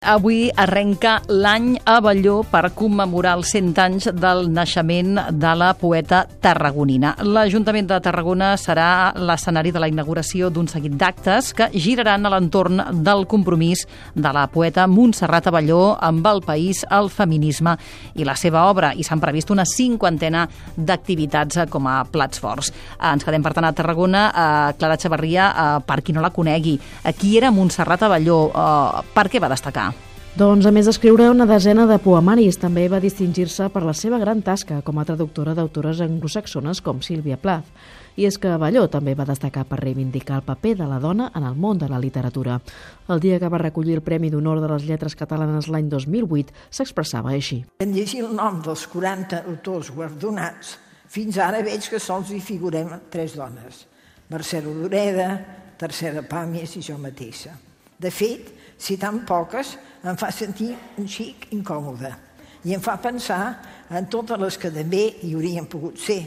Avui arrenca l'any Abelló per commemorar els 100 anys del naixement de la poeta tarragonina. L'Ajuntament de Tarragona serà l'escenari de la inauguració d'un seguit d'actes que giraran a l'entorn del compromís de la poeta Montserrat Abelló amb el país, el feminisme i la seva obra, i s'han previst una 50ena d'activitats com a plats forts. Ens quedem, per tant, a Tarragona. Clara Xavarria, per qui no la conegui, qui era Montserrat Abelló? Per què va destacar? Doncs, a més d'escriure una desena de poemaris, també va distingir-se per la seva gran tasca com a traductora d'autores anglosaxones com Sílvia Plath. I és que Abelló també va destacar per reivindicar el paper de la dona en el món de la literatura. El dia que va recollir el Premi d'Honor de les Lletres Catalanes l'any 2008 s'expressava així. En llegir el nom dels 40 autors guardonats, fins ara veig que sols hi figurem 3 dones: Mercè Rodoreda, Teresa Pàmies i jo mateixa. De fet, si tan poques, em fa sentir un xic incòmode i em fa pensar en totes les que també hi haurien pogut ser.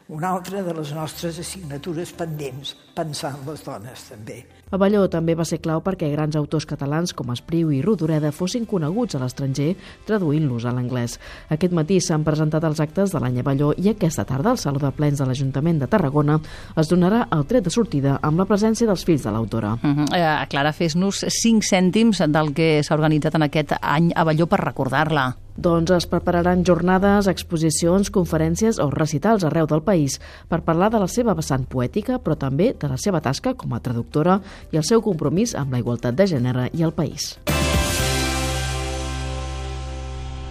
Una altra de les nostres assignatures pendents, pensar en les dones també. Abelló també va ser clau perquè grans autors catalans com Espriu i Rodoreda fossin coneguts a l'estranger traduint-los a l'anglès. Aquest matí s'han presentat els actes de l'any Abelló i aquesta tarda al Saló de Plens de l'Ajuntament de Tarragona es donarà el tret de sortida amb la presència dels fills de l'autora. Clara, fes-nos 5 cèntims del que s'ha organitzat en aquest any Abelló per recordar-la. Doncs es prepararan jornades, exposicions, conferències o recitals arreu del país per parlar de la seva vessant poètica, però també de la seva tasca com a traductora i el seu compromís amb la igualtat de gènere i el país.